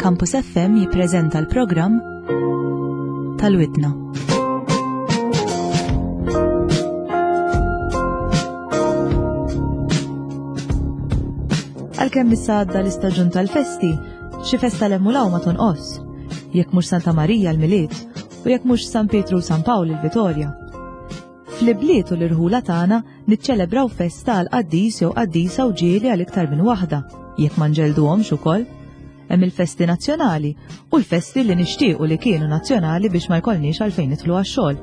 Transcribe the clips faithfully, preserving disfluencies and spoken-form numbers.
Campus F M jippreżenta l-programm tal-Widna. Għalkemm issa għadda l-istaġun tal-festi, xi festa 'l hemm u 'l hawn ma tonqos. Jekk mhux Santa Marija l-Milied u jekk mhux San Pietru u San Pawl il-Vitorja. Fl-ibliet u l-irħula tagħna niċċelebraw festa għal qaddis jew qaddisa u ġieli għal iktar minn waħda, jekk ma nġelduhomx ukoll. Hemm il-festi nazzjonali u l-festi li nixtiequ li kienu nazzjonali biex ma jkollniex għalfejn nidħlu għax-xogħol.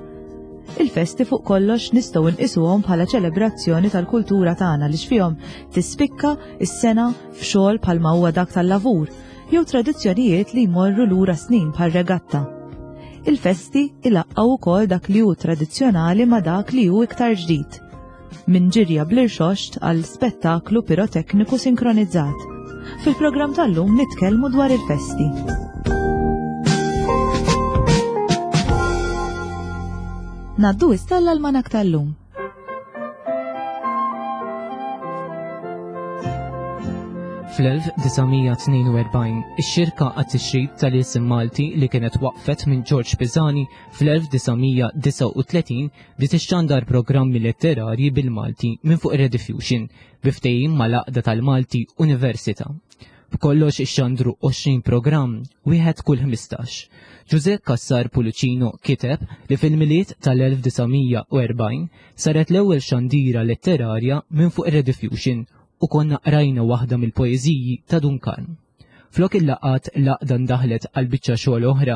Il-festi fuq kollox nistgħu nqisuhom bħala ċelebrazzjoni tal-kultura tagħna li fihom tispikka is-sengħa f'xogħol bħalma huwa dak tal-lavur jew tradizzjonijiet li jmorru lura snin bħal regatta. Il-festi ilaqqgħu ukoll dak li hu tradizzjonali ma' dak li hu iktar ġdid. Minn ġirja bl-irxoxt għal spettaklu pirotekniku sinkronizzat. Fil-programm tal-lum nitkellmu dwar il-festi. Ngħaddu issa l-almanak tal-lum. Fl-elf disa' mija tnejn u erbgħin, ix-xirka għat-tixrid tal-isem Malti li kienet waqfet minn George Pisani fl-elf disa' mija disgħa u tletin bdiet ixxandar programmi letterarji bil-Malti minn fuq Rediffusion bi ftehim mal-Għaqda tal-Malti Università. B'kollox ixxandru għoxrin programm, wieħed kull ħmistax. Ġużè Cassar Pullicino kiteb li fil-Milied tal-elf disa' mija u erbgħin saret l-ewwel xandira letterarja minn fuq Rediffusion u konna qrajna waħda mill-poeżiji ta' Dun Karm. Flok il-laqat l-għaqda ndaħlet għal biċċa xogħol oħra.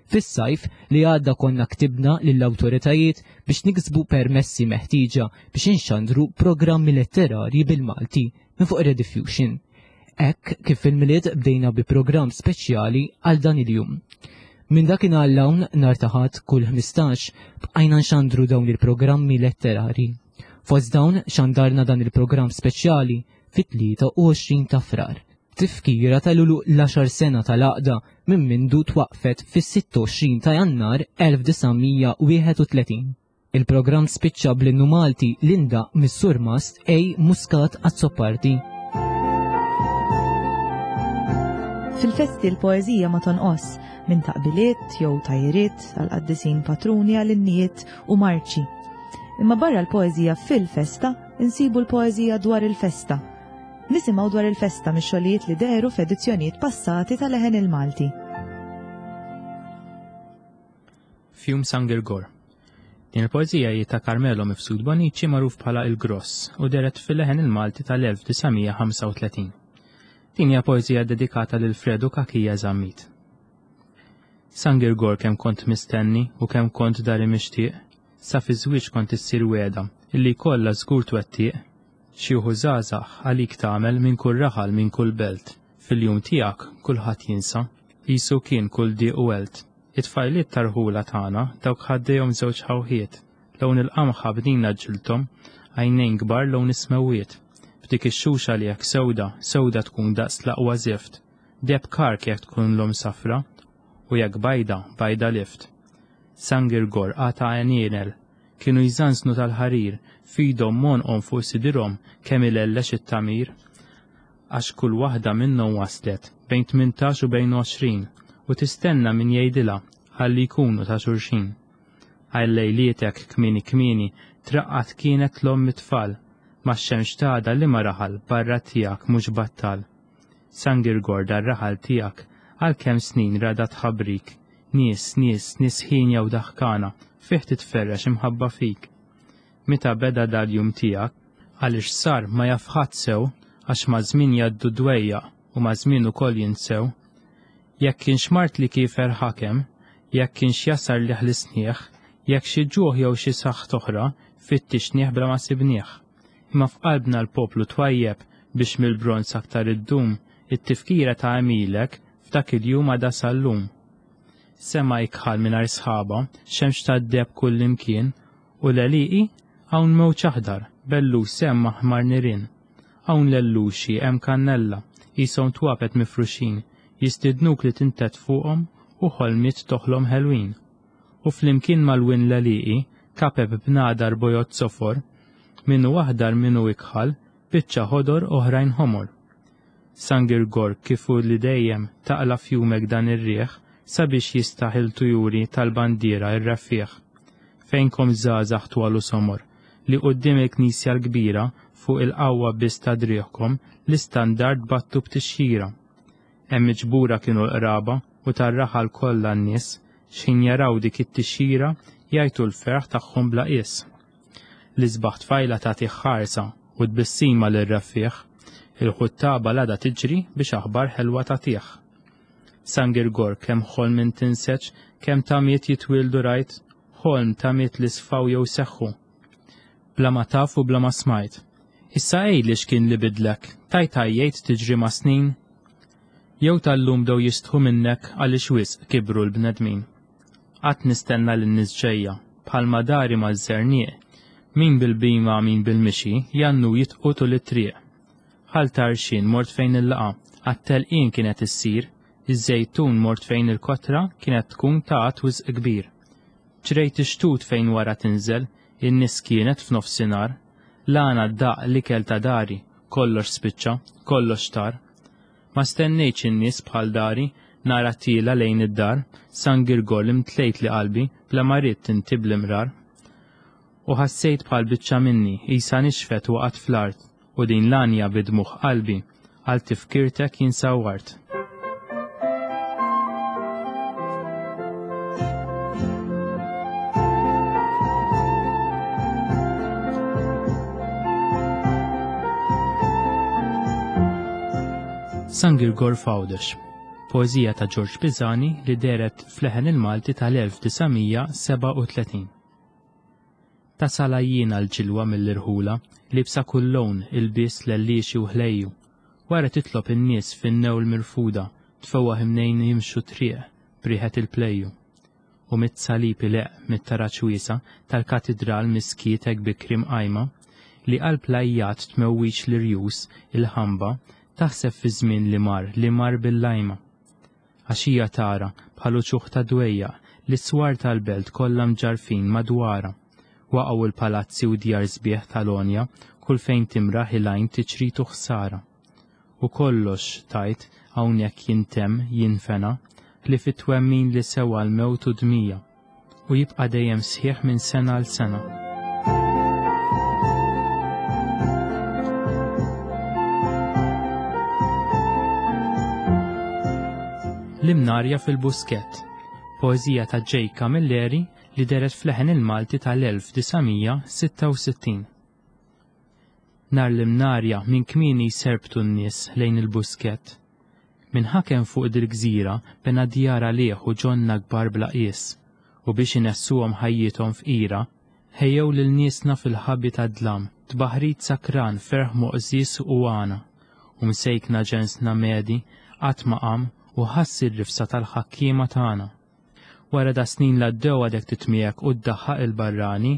Fis-sajf li għadda konna ktibna lill-awtoritajiet biex niksbu permessi meħtieġa biex inxandru programmi letterarji bil-Malti minn fuq Rediffusion. Hekk kif fil-Milied bdejna bi programm speċjali għal dan il-jum. Minn dakinhar 'l hawn nhar ta' Ħadd kull ħmistax bqajna nxandru dawn il-programmi letterari. Fost dawn xandarna dan il-programm speċjali fit-tlieta u għoxrin ta' Frar. Tifkira tal-għeluq l-għaxar sena tal-għaqda minn mindu twaqfet fis-sitta u għoxrin ta' Jannar elf disa' mija wieħed u tletin. Il-programm spiċċa bl-innu Malti li ndaqq mis-Surmast A. Muscat Azzopardi. Fil-festi l-poeżija ma tonqos minn taqbiliet jew tgħajjiriet għal qaddisin patruni għal innijiet u marċi. Imma barra l-poeżija fil-festa, insibu l-poeżija dwar il-festa. Nisimgħu dwar il-festa mix-xogħlijiet li dehru f'edizzjonijiet passati tal-Leħen il-Malti. Fjum San Girgor. Din il-poeżija hi ta' Carmelo Mifsud Bonici, magħruf bħala Il-Gross, u dehret fil-Leħen il-Malti tal-elf disa' mija ħamsa u tletin. Din hija poeżija dedikata lil Fredu Kakija Zammit. San Girgor, kemm kont mistenni u kemm kont dari mixtieq, sa fi żwieġ kont issir wegħda illi kollha żgur twettieq. Xi wħud żgħażagħ għalik tagħmel minn kull raħal, minn kull belt. Fil-jum tiegħek kulħadd jinsa, qisu kien kull diq u għelt. It-tfajliet tar-rħula tagħna dawk ħaddejhom żewġ ħawħiet, lawn il-qamħa bnina ġilthom, għajnejn kbar lawn is-smewwiet. B'dik ix-xuxa li jekk sewda, sewda tkun daqs l-aqwa zift. Deheb kark jekk tkun l-om safra, u jekk bajda, bajda lift. San Girgor għata għenienel, kienu jżanżnu tal-ħarir, f'idhom m'għonqhom fuq sidirhom kemm ilellex it-tamir. Għax kull waħda minnhom waslet bejn tmintax u bejn għoxrin u tistenna min jgħidilha ħalli jkunu ta' xulxin. Għal lejlietek kmieni kmieni traqqat kienet l-omm it-tfal, ma xemx tada li ma raħal barra tiegħek mhux battal. San Girgor, dar-raħal tiegħek għal kemm snin rada tħabrik, nies, nies, nies ħin jew daħkana, fih titferrex imħabba fik. Meta beda dal-jum tiegħek, għaliex sar ma jaf ħadd sew, għax ma' żmien jgħaddu dwejjaq u ma' żmien ukoll jinsew. Jekk kienx mard li kiefer ħakem, jekk kienx jasar li ħlisnieħ, jekk xi ġuħ jew xi saħħ oħra, fittixnieh bla ma sibnieh. Imma f'qalbna l-poplu twajjeb biex mill-bronz aktar iddum, it-tifkira ta' għemilek f'dak il-jum għadha sal-lum. Sema ikħal mingħajr sħaba, xemx tad-deheb kull imkien, u l-għelieqi hawn mewġ aħdar, bellu sem aħmar nirien. Hawn lelluxi, hemm kannella, qishom twapet mifruxin, jistidnuk li tintet fuqhom u ħolmiet toħlom ħelwin. U flimkien mal-win l-għelieqi, kapep bnadar bojod sofor, minnu aħdar, minnu ikħal, biċċa ħodor, oħrajn ħomor. San Girgor kif hu li dejjem taqla' f'jumek dan ir-riħ sabiex jistaħ il-tujuri tal-bandiera r-reffiegħ. Fejnkom żgħażagħ twal u somor, li quddiem il-knisja l-kbira fuq il-qawwa biss ta' driegħkom l-istandard battu b'tixjira. Hemm miġbura kienu l-qraba u tar-raħal kollha n-nies, x'ħin jaraw dik it-tixjira jgħajtu l-ferħ tagħhom bla qies. L-isbaħ tfajla tagħti ħarsa u tbissima lir-reffiegħ, il-ħuttaba l-għada tiġri biex aħbar ħelwa tagħtih. San Girgor kemm ħolm int tinseġ, kemm tamiet jitwieldu rajt, ħolm tamiet li sfaw jew seħħu. Bla ma taf u bla ma smajt. Issa għidli x'kien li bidlek, tajt għajjejt tiġri mas-snin? Jew tal-lum bdew jistħu minnek għaliex wisq kibru l-bnedmin? Qatt nistenna lin-nies ġejja, bħalma dari maż-żerniq, min bil-bhima min bil-mixi, jgħannu jitqu tul it-triq. Ħal Tarxien mort fejn il-laqgħa, għat-telqien kienet issir, iż-Żejtun mort fejn il-kotra kienet tkun ta' għadd wisq kbir. Ġrejt ix-xtut fejn wara tinżel, in-nies kienet f'nofsinhar. L-għana daqq l-ikel ta' dari, kollox spiċċa, kollox tar. Ma stennejtx in-nies bħal dari, nara tiela' lejn id-dar, San Girgor li mtlejtli qalbi bla ma ridt inti bl-imrar. U ħassejt bħal biċċa minni qisha nixfet waqgħet fl-art u din l-għanja bi dmugħ qalbi għal tifkirtek jien sawwart. San Girgor f'Għawdex, poeżija ta' Ġorġ Pisani li dehret f'Leħen il-Malti tal-elf disa' mija sebgħa u tletin. Tasal għajjiena l-ġilwa mill-irħula, liebsa kull lewn, ilbies lellixi u ħlejju. Wara titlob in-nies fin-newl mirfuda, tfewwaħ imnejn jimxu triq b'riħet il-plejju. U mit-salib ileqq mit-taraġ wiesa' tal-katidral miskiet hekk bikri mqajma, li qalb l-għajjat tmewwiġ l-irjus, il-ħamba, taħseb fiż-żmien li mar, li mar bil-lajma. Għax hija tara, bħal uċuħ ta' dwejjaq, l-iswar tal-belt kollha mġarrfin madwarha. Waqgħu l-palazzi u djar sbieħ tal-għonja, kull fejn timraħ il-għajn tiċrit u ħsara. U kollox, tgħid, hawnhekk jintemm, jinfena, ħlief it-twemmin li sewa l-mewt u dmija, u jibqa' dejjem sħiħ minn sena għal sena. L-Imnarja fil-Buskett, poeżija ta' J. Camilleri li dehret f'Leħen il-Malti tal-elf disa' mija sitta u sittin. Nhar l-Imnarja minn kmieni jserbtu n-nies lejn il-Buskett. Min ħakem fuq dil-gżira bena djar għalih u ġonna kbar bla qies, u biex inessuhom ħajjithom fqira, ħejjew lil niesna fil-ħabi tad-dlam, tbaħrid sakran, ferħ moqżież u għana, u msejkna ġensna medi qatt ma qam u ħass ir-rifsa tal-ħakkiema tagħna. Wara da snin l-għaddew għadek titmiegħek u ddaħħaq il-barrani,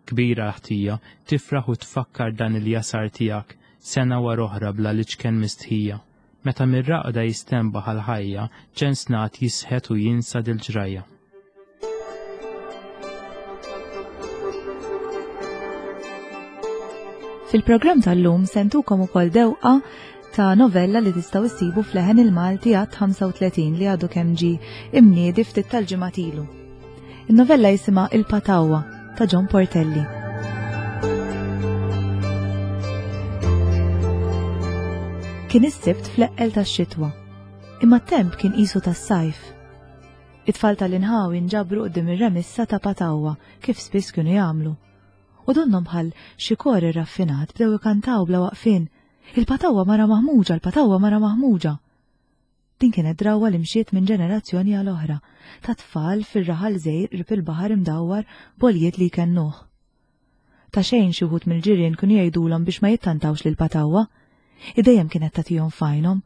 kbira l-ħtija, tifraħ u tfakkar dan il-jasar tiegħek sena wara oħra bla liċken mistħija. Meta mir-raqda jistenbaħ għal-ħajja, ġensnat jisħet u jinsa dil-ġrajja. Fil-programm tal-lum sentukom ukoll dewqa ta' novella li tistgħu issibu f'Leħen il-Malti għadd ħamsa u tletin li għadu kemm ġie imniedi ftit tal-ġimgħat ilu. In-novella jisimha Il-Patawwa ta' John Portelli. Kien is-Sibt fl-eqqel tax-xitwa, imma t-temp kien qisu tas-sajf. It-tfal tal-inħawi nġabru quddiem ir-remissa ta' Patawwa kif spiss kienu jagħmlu. U donnhom bħal xi kor irraffinat bdew ikantaw bla waqfien Il-Patawwa mara maħmuġa, il-Patawwa mara maħmuġa. Din kienet drawwa li mxiet minn ġenerazzjoni għal oħra, ta' tfal fir-raħal żgħir qrib il-baħar imdawwar b'għoljiet li jkennuh. Ta' xejn xi wħud mill-ġirien kienu jgħidulhom biex ma jittantawx lil Patawwa, idejjem kienet tagħtihom f'għajnhom,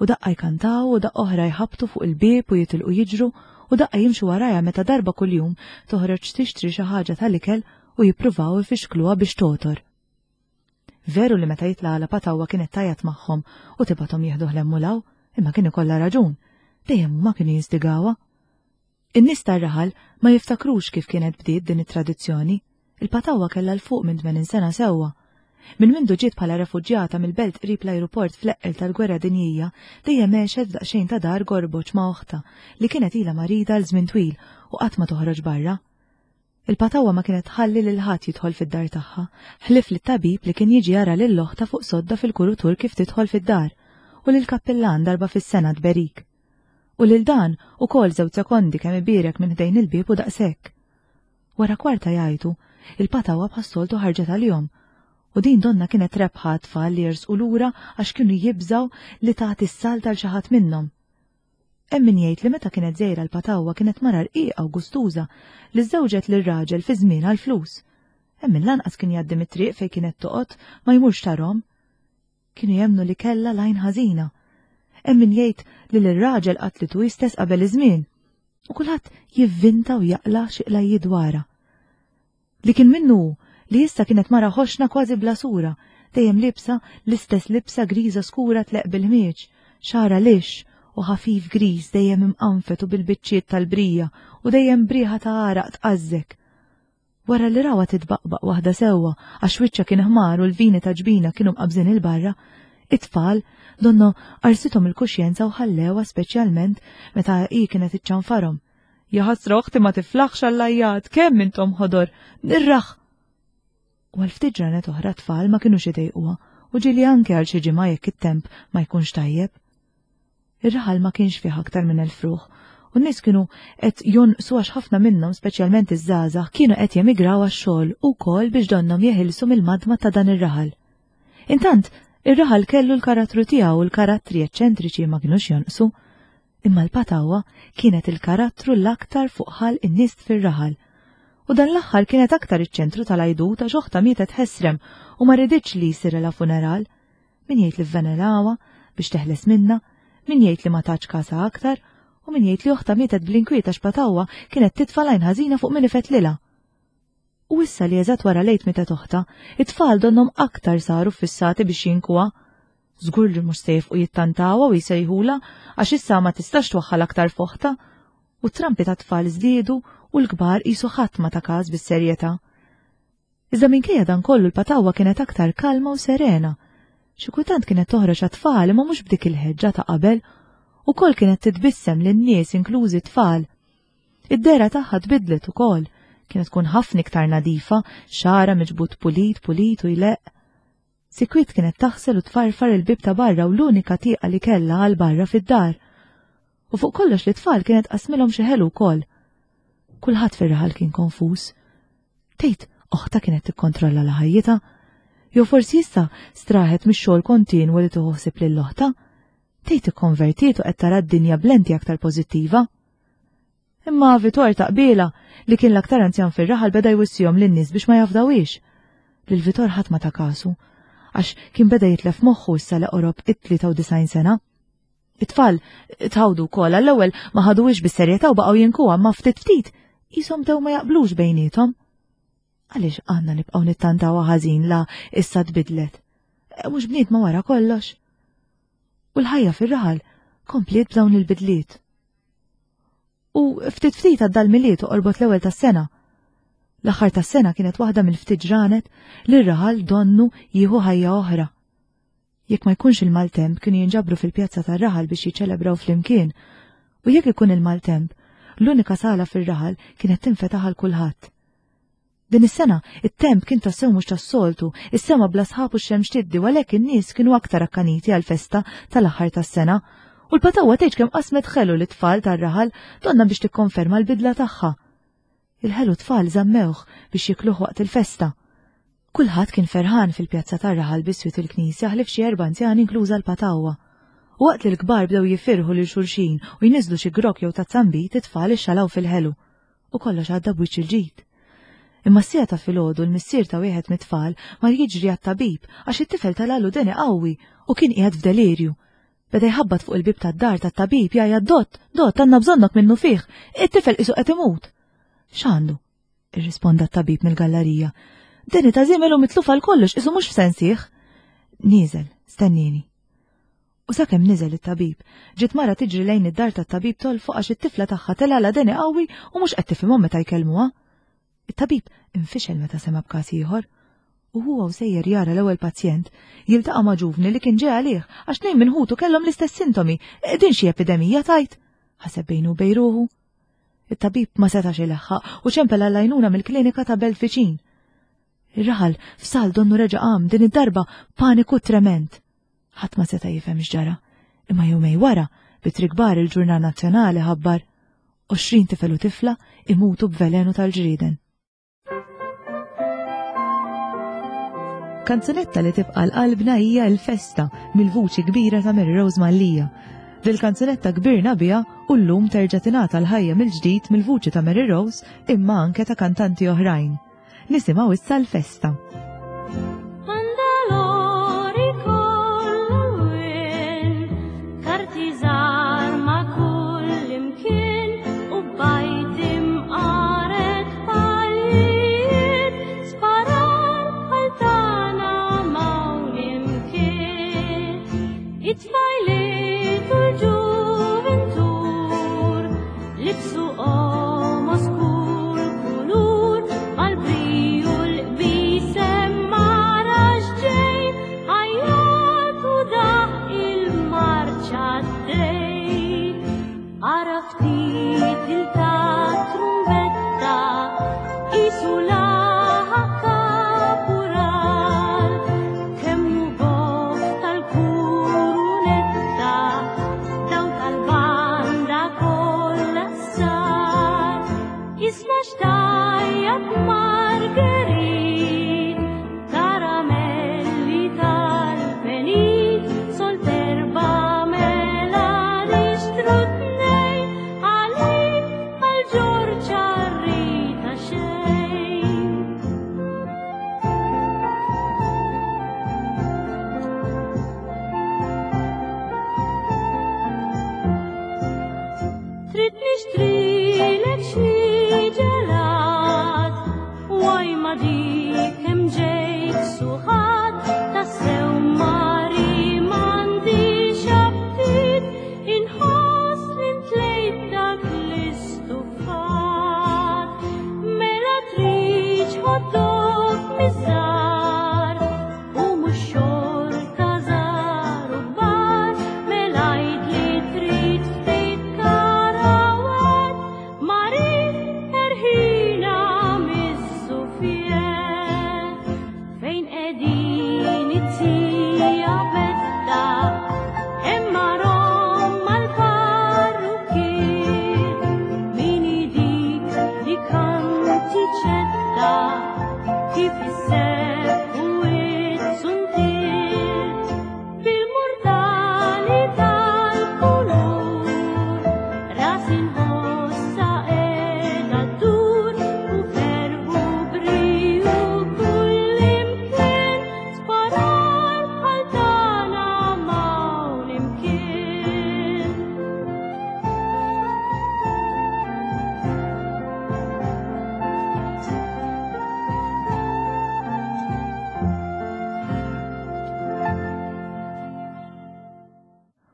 u daqqa jkantaw u daqqa oħra jħabbtu fuq il-bieb u jitilqu jiġru u daqqa jimxu warajha meta darba kuljum toħroġ tixtri xi ħaġa tal-ikel u jippruvaw ifixkluha biex totor. Veru li meta jitla' għala Patawwa kienet tajat magħhom u tibgħathom jieħdu ħlemm u law, imma kien ikollha raġun, dejjem huma kienu jinstigawha. In-nies tar-raħal ma jiftakrux kif kienet bdiet din it-tradizzjoni. Il-Patawwa kellha l fuq minn tmenin sena sewwa, Minn mindu ġiet bħala refuġjata mill-belt qrib l-ajruport fl-eqqel tal-Gwerra Dinjija, dejjem għexet f'daqsxejn ta' dar gorboġ ma' oħtha li kienet ilha marida għal żmien twil u qatt ma toħroġ barra. Il-patawwa ma kienet tħalli lil ħadd jidħol fid-dar tagħha, ħlief lit-tabib li kien jiġi jara lil oħtha fuq sodda fil-kurutur kif tidħol fid-dar, u lill-kappillan darba fis-sena tberik. U lil dan ukoll żewġ sekondi kemm ibierek minn ħdejn il-bieb u daqshekk. Wara kwarta jgħajtu, il-patawwa bħas-soltu ħarġet għalihom, u din donnha kienet rebħa għat-tfal li jersqu lura għax kienu jibżgħu li tagħti s-salt għal xi ħadd minnhom. Hemm min jgħid li meta kienet żgħira l-patawwa kienet mara rqiqa u gustuża li żżewġet lir-raġel fi żmien għall-flus. Hemm min lanqas kien jgħaddi mit-triq fejn kienet toqgħod ma jmurx tarhom. Kienu jemmnu li kellha l-għajn ħażina. Hemm min jgħid li lir-raġel qatlitu hi stess qabel iż-żmien. U kulħadd jivvinta u jaqla' xi qlajjiet dwarha. Li kien minnu hu li issa kienet mara ħoxna kważi bla sura, dejjem liebsa l-istess libsa griża skura tleqq bil-ħmieġ, xagħarha lixx u ħafif griż dejjem imqanfet u bil-biċċiet tal-brija u dejjem b'riħa ta' għaraq tqażżek. Wara li rawha titbaqbaq waħda sewwa għax wiċċha kien ħmar u l-vini ta' ġbinha kienu mqabbżin 'il barra, it-tfal donnu qarsithom il-kuxjenza u ħallewha speċjalment meta hi kienet iċċanfarhom. Jaħasra oħti ma tiflaħx għall-għajjat, kemm intom ħodor, nirraħ! U għal ftit ġranet oħra t-tfal ma kinux idejquha u ġieli anke għal xi ġimgħa jekk it-temp ma jkunx tajjeb. Ir-raħal ma kienx fih aktar minn elf ruħ u n-nies kienu qed jonqsu għax ħafna minnhom, speċjalment iż-żgħażagħ, kienu qed jemigraw għax-xogħol u wkoll biex donnhom jeħilsu mill-madma ta' dan ir-raħal. Intant, ir-raħal kellu l-karattru tiegħu u l-karattri eċċentriċi ma kinux jonqsu. Imma l-patawwa kienet il-karattru l-aktar fuq ħalq in-nies fir-raħal. U dan l-aħħar kienet aktar iċ-ċentru tal-għajdut għax oħtha mietet ħesrem u ma riditx li jsirilha funeral. Min jgħid li vvenelawha biex teħles minnha, min jgħid li ma tatx kasha aktar, u min jgħid li oħtha mietet bl-inkwiet għax patawwa kienet titfa' l-għajn ħażina fuq min ifettlilha. U issa li eżatt wara l-Għid mietet oħtha, it-tfal donnhom aktar saru ffissati biex jinkuha. Żgur li mhux se jifqu jittantawha u jsejħulha għax issa ma tistax twaħħal aktar f'oħtha. U t-trampi tat-tfal żdiedu u l-kbar qisu ħadd ma ta każ bis-serjetà. Iżda minkejja dan kollu l-patawwa kienet aktar kalma u serena. Xi kultant kienet toħroġ għat-tfal imma mhux b'dik il-ħeġġa ta' qabel. Ukoll kienet titbissem lin-nies inklużi t-tfal. Id-dehra tagħha tbiddlet ukoll. Kienet tkun ħafna iktar nadifa, xagħarha miġbud pulit pulit u jleqq. Sikwit kienet taħsel u tfarfar il-bieb ta' barra u l-unika tieqa li kellha għal barra fid-dar. U fuq kollox lit-tfal kienet tqassmilhom xi ħelu wkoll. Kulħadd fir-raħal kien konfuż. Tgħid oħtha kienet tikkontrolla la ħajjitha? Jew forsi issa straħet mix-xogħol kontinwu li tieħu ħsieb lil oħtha? Tgħid ikkonvertiet u qed tara d-dinja b'lenti aktar pożittiva? Imma Vitor ta' qbiela li kien l-aktar anzjan fir-raħal beda jwissihom lin-nies biex ma jafdawhiex. Lil Vitor ħadd ma ta kasu, għax kien beda jitlef moħħu issa li qorob it-tlieta u disgħin sena. It-tfal tħawdu wkoll għall-ewwel ma ħaduhiex bis-serjetà u baqgħu jinkuha ma ftit ftit qishom bdew ma jaqblux bejniethom. Għaliex għandna nibqgħu nittantawha ħażin la issa tbidlet? Mhux bniedma wara kollox. U l-ħajja fir-raħal kompliet b'dawn il-bidliet. U ftit ftit għadda l-Milied u qorbot l-ewwel tas-sena. L-aħħar tas-sena kienet waħda mill-ftit ġranet li r-raħal donnu jieħu ħajja oħra. Jekk ma jkunx il-maltemp kienu jinġabru fil-pjazza tar-raħal biex jiċċelebraw flimkien. U jekk ikun il-maltemp, l-unika sala fir-raħal kienet tinfetaħ għal kulħadd. Din is-sena it-temp kien tassew mhux tas-soltu, is-sema bla sħab u x-xemx tiddi u għalhekk in-nies kienu aktar akkaniti għall-festa tal-aħħar tas-sena. U l-patawwa tgħidx kemm qasmet ħelu lit-tfal tar-raħal donnha biex tikkonferma l-bidla tagħha. Il-ħelu tfal żammewh biex jikluh waqt il-festa. Kulħadd kien ferħan fil-pjazza tar-raħal biswit il-knisja ħlief xi erba' anzjani inkluża l-patawwa. U waqt li l-kbar bdew jifirħu lil xulxin u jniżżlu xi grokk jew tazza nbid, it-tfal ixxalaw fil-ħelu. U kollox għadda b'wiċċ il-ġid. Imma s-siegħa ta' filgħodu l-missier ta' wieħed mit-tfal mar jiġri għat-tabib għax it-tifel talalu deni qawwi u kien qiegħed f'delirju. Beda jħabbat fuq il-bieb tad-dar tat-tabib jgħajjat dott, dott, għandna bżonnok minnu fih, it-tifel qisu qed imut. X'għandu? Irrisponda t-tabib mill-gallarija. Deni ta' żiemel u mitluf għal kollox, qisu mhux f'sensih. Nieżel, stennini. U sakemm niżel it-tabib, ġiet mara tiġri lejn id-dar tat-tabib tolfoq għax it-tifla tagħha telgħalha deni qawwi u mhux qed tifhimhom meta jkellmuha. It-tabib infixel meta sema' b'każ ieħor. U huwa u sejjer jara l-ewwel pazjent, jiltaqa' ma' ġuvni li kien ġej għalih għax tnejn minn ħutu kellhom l-istess sintomi. Din xi epidemija tajt? Ħaseb bejnu u bejn ruħu. It-tabib ma setax ileħħaq u ċempel għall-għajnuna mill-klinika ta' belt viċin. Ir-raħal f'sal donnu reġa' qam din id-darba paniku trement. Ħadd ma seta' jifhem x'ġara, imma jumej wara b'ittri kbar il-Ġurnal Nazzjonali ħabbar għoxrin tifel u tifla imutu b'velenu tal-ġrieden. Kanzunetta li tibqa' l-qalbna hija l-festa mill-vuċi kbira ta' Mary Rose Mallia. Dil-kanzunetta kbirna biha u llum terġa' tingħata l-ħajja mill-ġdid mill-vuċi ta' Mary Rose imma anke ta' kantanti oħrajn. Nisimgħu issa l-festa.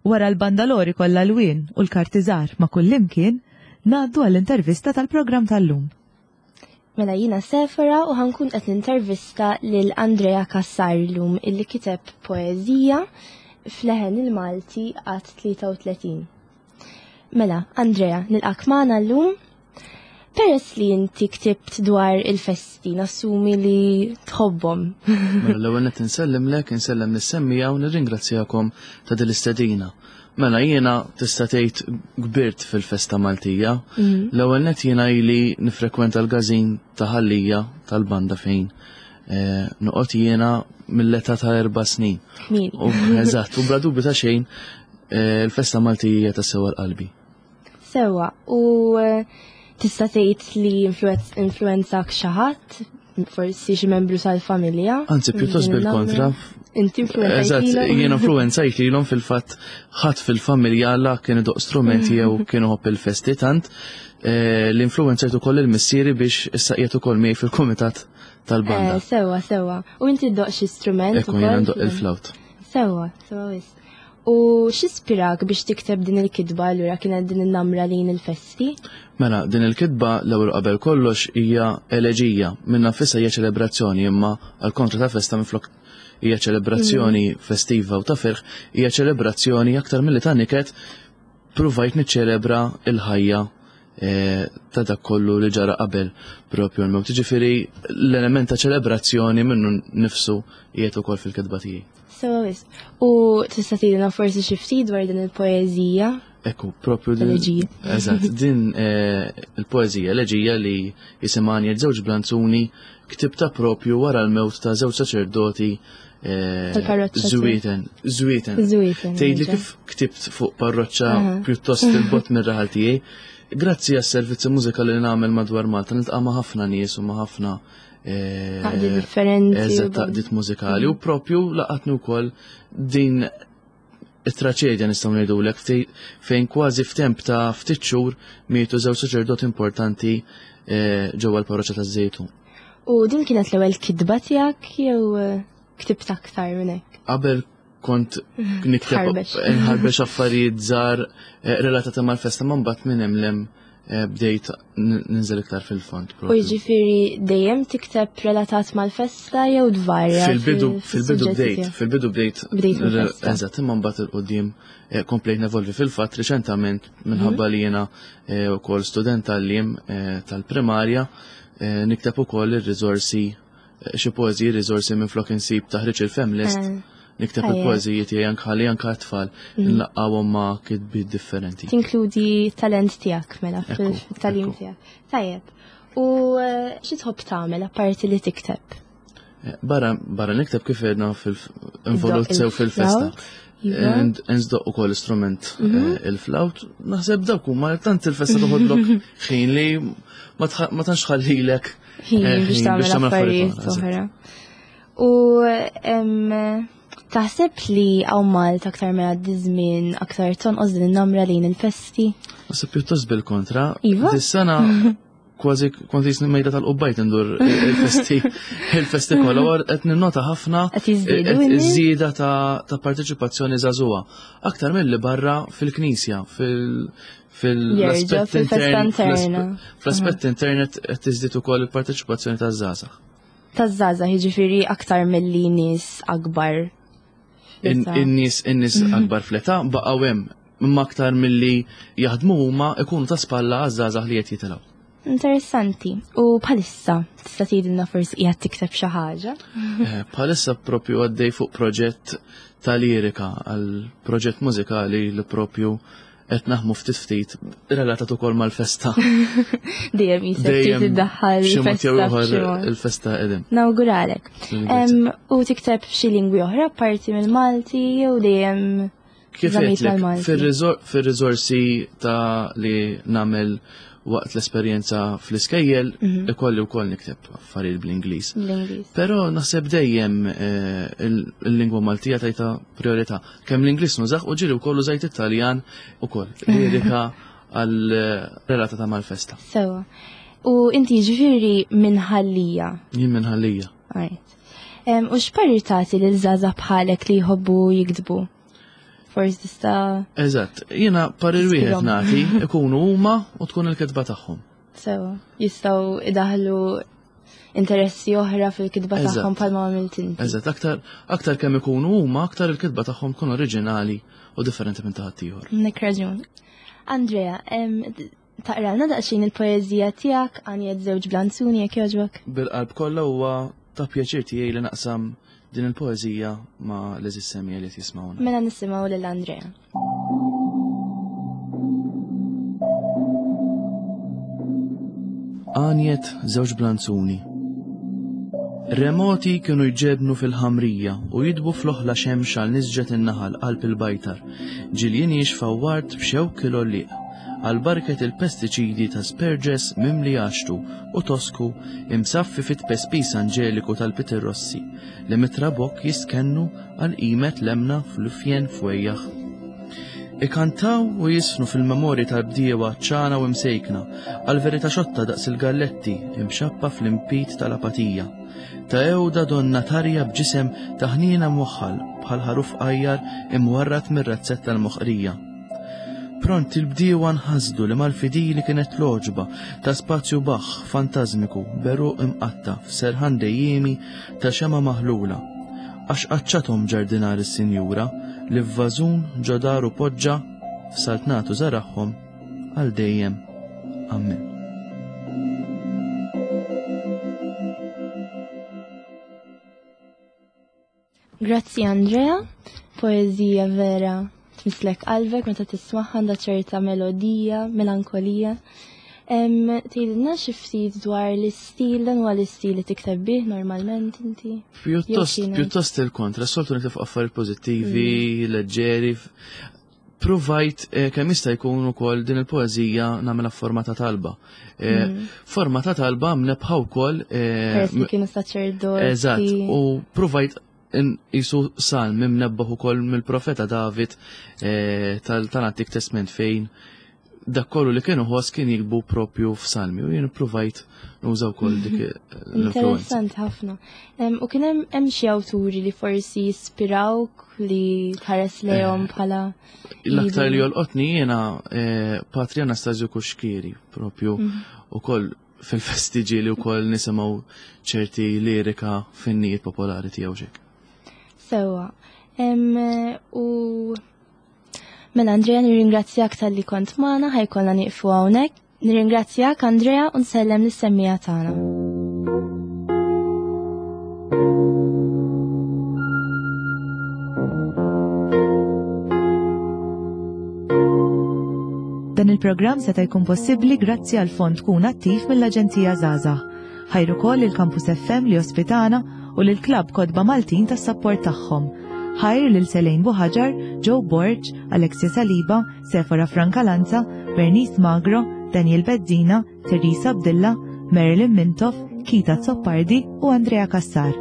Wara l-bandalori kollha lwien u l-kartiżar ma' kullimkien, ngħaddu għall-intervista tal-programm tal-lum. Mela jiena Sefora u ħankun qed nintervista lil Andrea Cassar llum illi kiteb poeżija f'leħen il-Malti għat tlieta u tletin. Mela, Andrea, nilqak magħna llum. Peress li inti ktibt dwar il-festi, nassumi li tħobbhom. Mela l-ewwel qed insellimlek, insellem lis-semmija u nirringrazzjakom ta' din l-istedina. Mela jiena tista' tgħid kbirt fil-festa Maltija. Mm. L-ewwel nett jiena ili nifrekwenta l-każin ta' Ħal Lija tal-banda fejn, eh, noqgħod jiena mill-età ta' erba' snin. Min? U eżatt, u bla dubju ta' xejn, eh, il-festa Maltija ta' sewa l-qalbi. Sewa, u, eh, tista' tgħid li influenz-, influenzak xi ħadd, forsi xi membru tal-familja? Anzi, pjuttost Din bil-kontra. il-numru. Inti influenzajt Eżatt, lilhom? jien influenzajt lilhom fil-fatt ħadd fil-familja la kienu doq strumenti jew kienu ħobb il-festi tant, eh, li influenzajt ukoll il-missieri biex issa qiegħed ukoll miegħi fil-kumitat tal-banda. Eh, sewa, sewa. U inti ddoq xi strument Ekku, jiena ukoll? ndoq il-flawt. Sewa, sewa wisq. U x'ispirak biex tikteb din il-kitba allura kienet din in-namra lejn il-festi? Mela, din il-kitba l-ewwel qabel kollox hija eleġija, minnha nfisha hija ċelebrazzjoni, imma għal kontra ta' festa minflok hija ċelebrazzjoni festiva u ta' ferħ, hija ċelebrazzjoni aktar milli ta' niket. Pruvajt niċċelebra il-ħajja eh, ta' dak kollu li ġara qabel propju l-mewt. Ġifieri l-element ta' ċelebrazzjoni minnu nifsu qiegħed ukoll fil-kitba tiegħi. Sewa wisq. U tista' tgħidilna forsi xi ftit dwar din il-poeżija? Ekku, propju din. Eleġija. Eżatt, din eh, il-poeżija, eleġija li jisimha Għanjet Żewġ Blanzuni, ktibta propju wara l-mewt ta' żewġ saċerdoti eh, Tal-parroċċa. Żwieten. Żwieten. Żwieten. Tgħidli nerġa'. kif ktibt fuq parroċċa Aha. pjuttost il-bot mir-raħal tiegħi. Grazzi għas-servizzi mużikali li nagħmel madwar Malta, niltaqa' ma' ħafna nies u ma' ħafna eh, Għaqdiet differenti. Eżatt, taqdiet mużikali u propju laqatni wkoll din it-traċedja, nistgħu ngħidulek, ftej- fejn kważi f'temp ta' ftit xhur mietu żewġ saċerdoti importanti eh, ġewwa l-parroċċa taż-Żejtun. U din kienet l-ewwel kitba tiegħek jew eh, ktibt aktar minn hekk? Qabel kont nikteb Tħarbex. nħarbex affarijiet żgħar eh, relatati mal-festa, ma mbagħad minn hemm lem eh, bdejt n- ninżel iktar fil-fond. U propju. jiġifieri dejjem tikteb relatat mal-festa jew tvarja? Fil-bidu fil- fil-bidu fis-suġġetti bdejt, tiegħek? fil-bidu bdejt Bdejt mill-festa. Eżatt, imma mbagħad il qudiem eh, komplejt nevolvi. Fil-fatt riċentament, minħabba li jiena eh, wkoll student tal-lim eh, tal-primarja, eh, nikteb ukoll ir-riżorsi, eh, xi poeżiji, riżorsi minflok insib taħriġ il-femlist, Eh, nikteb tajjeb. il-poeżiji tiegħi anke ħalli anke t-tfal nlaqqawhom ma' kitbiet differenti. Tinkludi talent tiegħek mela Ekku, fil-talim ekku. tiegħek. Tajjeb. U eh, xi tħobb tagħmel apparti li tikteb? Eh, Barra barra nikteb, kif għedna, fil-involut sew fil-festa. Il-flawt, iva. Ndoqq ukoll istrument, eh, il-flawt, naħseb dawk huma. Tant il-festa toħodlok ħin li ma tħ- ma tantx ħallilek Ħin eh, biex tagħmel affarijiet oħra, eżatt. oħra. U em, taħseb li hawn Malta aktar ma jgħaddi żmien aktar tonqos din in-namra lejn il-festi? Naħseb pjuttost bil-kontra. Iva? Dis-sena kważi kont jisni mejda tal-qubbajt indur il-festi il-festi kollha u qed ninnota ħafna Qed jiżdiedu qed in-nies? iż-żieda ta' ta' parteċipazzjoni żagħżugħa. Aktar milli barra fil-knisja, fil Jerġa' fil-aspett fil-festa intern, interna. fl-aspett internet qed tiżdied ukoll il-parteċipazzjoni taż-żgħażagħ. Taż-żgħażagħ, jiġifieri aktar milli nies akbar. In- fl-età. In-nies in-nies akbar fl-età baqgħu hemm, imma aktar milli jaħdmu huma ikunu ta' spalla għaż-żgħażagħ li qed jitilgħu. Interessanti. U bħalissa tista' tgħidilna forsi qiegħed tikteb xi ħaġa? Eh, Bħalissa propju għaddej fuq proġett ta' lirika għal proġett mużikali li propju qed naħmu ftit ftit relatat ukoll mal-festa. Dejjem jisek trid Dejjem tiddaħħal xi mod jew il-festa ieħor b'xi mod. il-festa qegħdin. Nawguralek. Em, U tikteb xi lingwi oħra apparti mill-Malti jew dejjem Kif żammejt għedtlek, mal-Malti? fir-riżor- fir-riżorsi ta' li nagħmel waqt l-esperjenza fl-iskejjel, Mhm. ikolli wkoll nikteb affarijiet bl-Ingliż. Bl-Ingliż? Però naħseb dejjem eh, il- il-lingwa Maltija tajta priorità. Kemm l-Ingliż nużax u ġiri wkoll użajt Italjan ukoll. Lirika għal eh, relata ta' mal-festa. Sewa. U inti ġifieri minn Ħal-Lija. Jien minn Ħal-Lija. Alright. Em, U x'parir tagħti lil żgħażagħ bħalek li jħobbu jiktbu? Forsi tista' Eżatt, jiena parir wieħed Ispirhom. nagħti, ikunu huma u tkun il-kitba tagħhom. Sewa. Jistgħu idaħlu interessi oħra fil-kitba Eżatt. tagħhom bħalma għamilt inti. Eżatt, aktar aktar kemm ikunu huma, aktar il-kitba tagħhom tkun oriġinali u differenti minn ta' ħaddieħor. Nek raġun. Andrea, em, taqralna daqsxejn il-poeżija tiegħek Għanjet Żewġ Blanzuni jekk jogħġbok? Bil-qalb kollha, huwa ta' pjaċir tiegħi li naqsam din il-poeżija ma' l-eżis semija li jismawna. Mela nisimgħu lil Andrea. Għanjet Żewġ Blanzuni. Remoti kienu jġebnu fil-ħamrija u jidbu fl-oħla xemx għal nisġet in-naħal qalb il-bajtar. Ġiljien jixfawart b'xewk il-olliq għal barket il-pestiċidi ta' sperġes mimli għaxtu u tosku imsaffi fit pespis anġeliku tal-Peter Rossi li mitrabok jistkennu għal qimet lemna fl-ufjen fwejjaħ. Ikantaw u jisfnu fil-memorji tal-bdiewa ċana u imsejkna, għal-verità xotta daqs il-galletti imxappa fl-impit tal-apatija. Ta' ewda donna tarja b'ġisem ta' ħnina mwaħħal bħal ħaruf qajjar imwarrat mir-razzetta tal-moħqrija. Pront il-bdiewa nħasdu li mal-fidili kienet loġba ta' spazju baħ fantażmiku beruq imqatta f'serħan dejjiemi ta' xema maħlula. Għax qaċċathom ġardinar is-sinjura li f'vażun ġo daru poġġa f'saltnatu żaragħhom għal dejjem. Amen. Grazzi Andrea, poezija vera tmislek qalbek meta tismagħha, għandha ċerta melodija, melankolija. Tgħidilna xi ftit dwar l-istil, dan huwa l-istil li tikteb bih normalment inti? Pjuttost, pjuttost il-kontra, soltu nikteb fuq affarijiet pożittivi, leġġeri. Provajt kemm jista' jkun ukoll din il-poeżija nagħmilha forma ta' talba. Forma ta' talba mnebħa wkoll. Peress li kienu saċerdoti. Eżatt, u provajt jisu salm imnebbaħ ukoll mill-profeta David tal-Antik Testament fejn dak kollu li kienu ħoss kien jikbu propju f'salmi u jien provajt nuża wkoll dik l-influenza. Interessanti ħafna. U kien hemm xi awturi li forsi jispirawk li tħares lejhom bħala l-aktar li jolqotni jiena Patri Anastasio Kuxkieri propju ukoll fil-festiġi li wkoll nisimgħu ċerti lirika finnijiet popolari tiegħu xek. Sewwa. U mela Andrea, nirringrazzjak tal-li kont magħna, ħajkollna nieqfu hawnhekk. Nirringrazzjak Andrea u nsellem lis-semmija tagħna. Dan il-programm seta' jkun possibbli grazzi għal fond Kun Attiv mill-Aġenzija Żgħażagħ. Ħajru wkoll il-Campus F M li ospitana u lil Klabb Kotba Maltin tas-sapport tagħhom. Ħajr lil Selejn Buħaġar, Joe Borg, Alexia Saliba, Sephora Francalanza, Bernice Magro, Daniel Bezzina, Teresa Abdilla, Marilyn Mintoff, Kita Zoppardi u Andrea Cassar.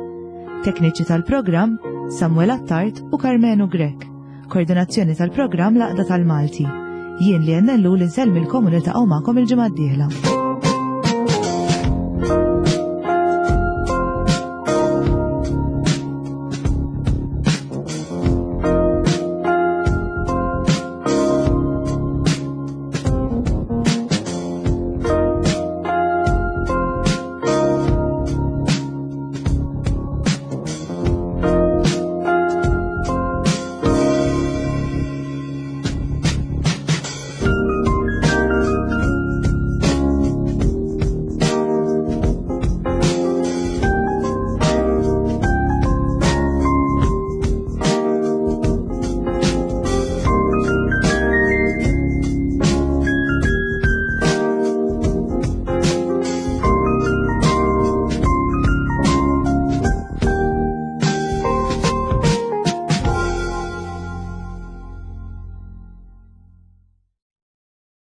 Tekniċi tal-programm Samuel Attard u Carmenu Grech. Koordinazzjoni tal-programm Laqda tal-Malti. Jien li għennellu li nsellmilkom u niltaqgħu magħkom il-ġimgħa d-dieħla.